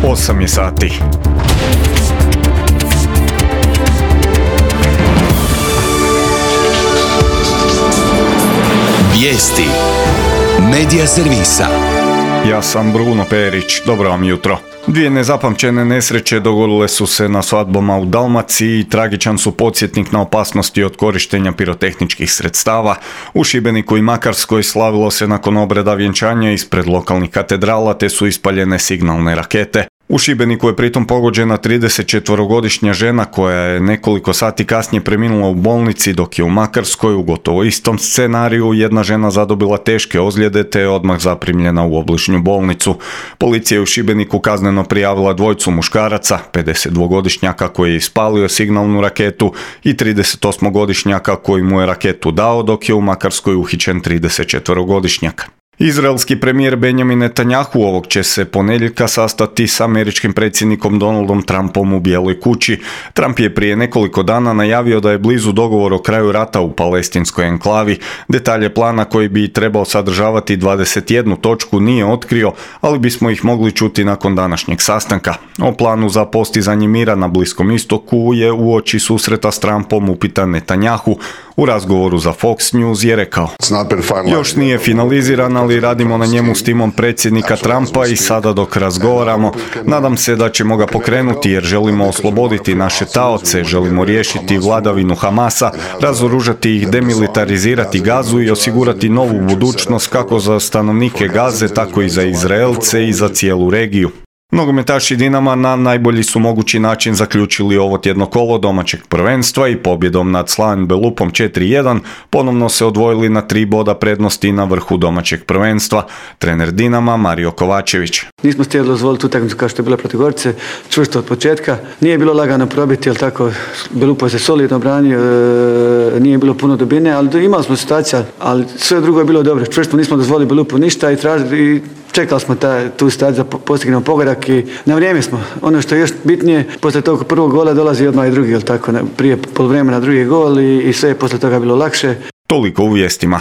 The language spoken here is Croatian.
8 je sati. Vijesti Medija servisa. Ja sam Bruno Perić, dobro vam jutro. Dvije nezapamćene nesreće dogodile su se na svadbama u Dalmaciji i tragičan su podsjetnik na opasnosti od korištenja pirotehničkih sredstava. U Šibeniku i Makarskoj slavilo se nakon obreda vjenčanja ispred lokalnih katedrala te su ispaljene signalne rakete. U Šibeniku je pritom pogođena 34-godišnja žena koja je nekoliko sati kasnije preminula u bolnici, dok je u Makarskoj u gotovo istom scenariju jedna žena zadobila teške ozljede te je odmah zaprimljena u obližnju bolnicu. Policija je u Šibeniku kazneno prijavila dvojicu muškaraca, 52-godišnjaka koji je ispalio signalnu raketu i 38-godišnjaka koji mu je raketu dao, dok je u Makarskoj uhićen 34-godišnjak. Izraelski premijer Benjamin Netanjahu ovog će se ponedjeljka sastati s američkim predsjednikom Donaldom Trumpom u Bijeloj kući. Trump je prije nekoliko dana najavio da je blizu dogovor o kraju rata u palestinskoj enklavi. Detalje plana koji bi trebao sadržavati 21 točku nije otkrio, ali bismo ih mogli čuti nakon današnjeg sastanka. O planu za postizanje mira na Bliskom istoku je uoči susreta s Trumpom upitan Netanjahu. U razgovoru za Fox News je rekao: još nije finaliziran, ali radimo na njemu s timom predsjednika Trumpa i sada dok razgovaramo, nadam se da ćemo ga pokrenuti jer želimo osloboditi naše taoce, želimo riješiti vladavinu Hamasa, razoružati ih, demilitarizirati Gazu i osigurati novu budućnost kako za stanovnike Gaze, tako i za Izraelce i za cijelu regiju. Nogometaši Dinama na najbolji su mogući način zaključili ovo tjedno kolo domaćeg prvenstva i pobjedom nad Slaven Belupom 4-1 ponovno se odvojili na 3 boda prednosti na vrhu domaćeg prvenstva. Trener Dinama Mario Kovačević: nismo htjeli dozvoliti utakmicu kao što je bila protiv Gorice, čvrsto od početka. Nije bilo lagano probiti, jel tako, Belupo se solidno branio, nije bilo puno dubine, ali imali smo situacija, ali sve drugo je bilo dobro. Čvrsto nismo dozvolili Belupu ništa i čekali smo tu situaciju da postignemo pogodak i na vrijeme smo. Ono što je još bitnije, poslije tog prvog gola dolazi odmah i drugi, jel tako, prije poluvremena drugi gol i sve je poslije toga bilo lakše. Toliko u vijestima.